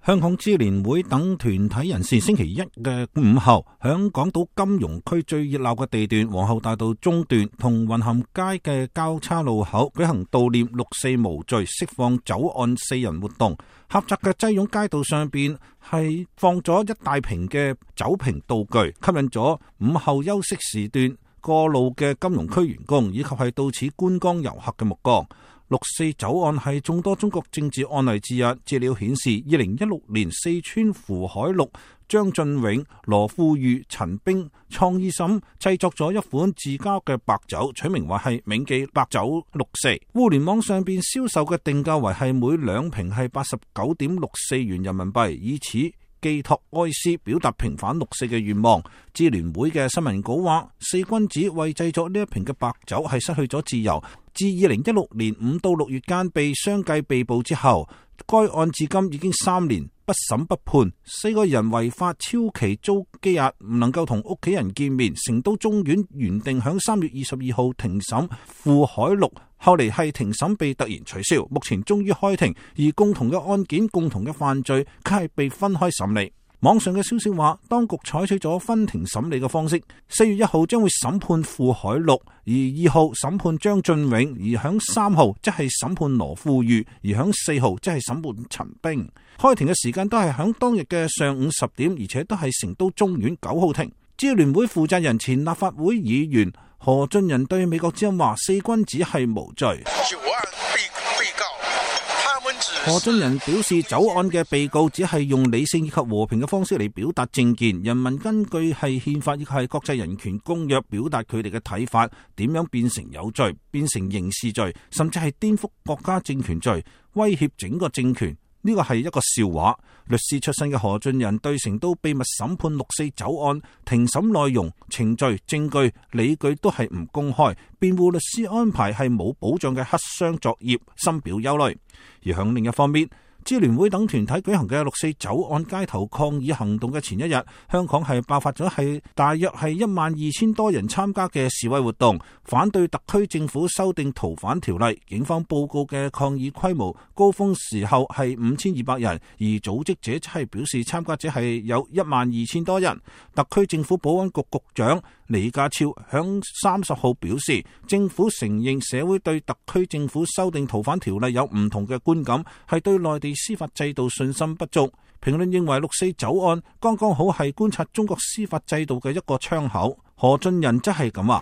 香港支聯會等團體人士星期一嘅午後，響港島金融區最熱鬧嘅地段皇后大道中段同雲咸街嘅交叉路口舉行悼念六四無罪釋放酒案4人活動。狹窄嘅擠擁街道上邊係放咗一大瓶嘅酒瓶道具，吸引咗午後休息時段過路嘅金融區員工以及係到此觀光遊客嘅目光。六四酒案係眾多中國政治案例之一。資料顯示，2016年四川符海祿、張俊永、羅富裕、陳冰創意審製作咗一款自家嘅白酒，取名為係銘記白酒六四。互聯網上邊銷售嘅定價為係每兩瓶係89.64元人民幣，以此寄託哀思，表達平反六四嘅願望。支聯會嘅新聞稿話，四君子為製作呢一瓶嘅白酒係失去咗自由。自2016年5到6月間被相繼被捕之後，該案至今已經3年不審不判。4個人違法超期遭羈押，唔能夠同屋企人見面。成都中院原定響3月22號庭審符海祿，後嚟係庭審被突然取消，目前終於開庭，而共同嘅案件、共同嘅犯罪，卻係被分開審理。網上嘅消息話，當局採取咗分庭審理嘅方式，4月1號將會審判符海祿，而2號審判張俊永，而響3號即係審判羅富裕，而響4號即係審判陳冰。開庭嘅時間都係響當日嘅上午10點，而且都係成都中院9號庭。支聯會負責人前立法會議員何俊仁對美國之音話：四君子係無罪。何俊仁表示，酒案嘅被告只係用理性以及和平嘅方式嚟表達政見，人民根據係憲法亦係國際人權公約表達佢哋嘅睇法，點樣變成有罪，變成刑事罪，甚至係顛覆國家政權罪，威脅整個政權。呢個係一個笑話。律師出身嘅何俊仁對成都秘密審判六四酒案庭審內容、程序、證據、理據都係唔公開，辯護律師安排係冇保障嘅黑箱作業，深表憂慮。而響另一方面，支聯會等團體舉行嘅六四酒案街頭抗議行動嘅前一日，香港係爆發咗係大約係12000多人參加嘅示威活動，反對特區政府修訂逃犯條例。警方報告嘅抗議規模高峰時候係5200人，而組織者係表示參加者係有12000多人。特區政府保安局局長李家超響30號表示，政府承認社會對特區政府修訂逃犯條例有唔同嘅觀感，係對內地司法制度信心不足。評論認為六四酒案剛剛好係觀察中國司法制度嘅一個窗口。何俊仁則係咁話。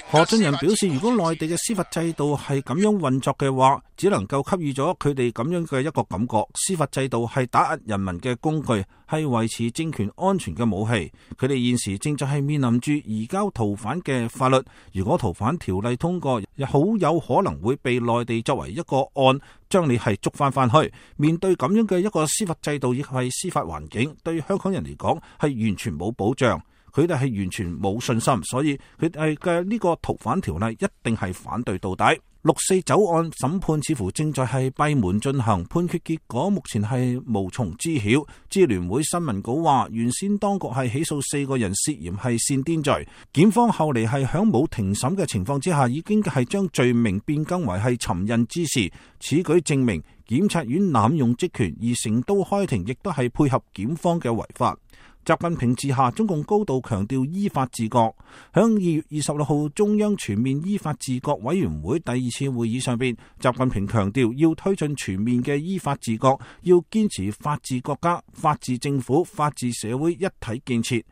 何俊仁表示，如果內地嘅司法制度係咁樣運作嘅話，只能夠給予咗佢哋咁樣嘅一個感覺，司法制度係打壓人民嘅工具，係維持政權安全嘅武器。佢哋現時正在係面臨住移交逃犯嘅法律，如果逃犯條例通過，好有可能會被內地作為一個案，將你係捉翻去。面對咁樣嘅一個司法制度，亦係司法環境，對香港人嚟講係完全冇保障。佢哋係完全冇信心，所以佢哋嘅呢個逃犯條例一定係反對到底。六四酒案審判似乎正在係閉門進行，判決結果目前係無從知曉。支聯會新聞稿話，原先當局係起訴4個人涉嫌係煽顛罪，檢方後嚟係響冇庭審嘅情況之下，已經係將罪名變更為係尋釁滋事。此舉證明檢察院濫用職權，而成都開庭亦都係配合檢方嘅違法。習近平治下，中共高度強調依法治國。響2月26號中央全面依法治國委員會第2次會議上邊，習近平強調要推進全面嘅依法治國，要堅持法治國家、法治政府、法治社會一體建設。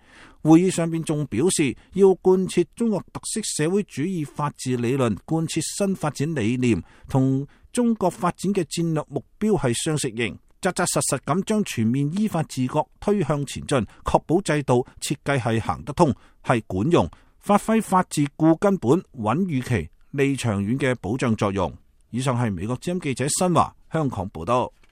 會議上邊仲表示，要貫徹中國特色社會主義法治理論，貫徹新發展理念，同中國發展嘅戰略目標係相適應。扎扎實實咁將全面依法治國推向前進，確保制度設計係行得通，係管用，發揮法治固根本、穩預期、利長遠嘅保障作用。以上係美國之音記者新華香港報道。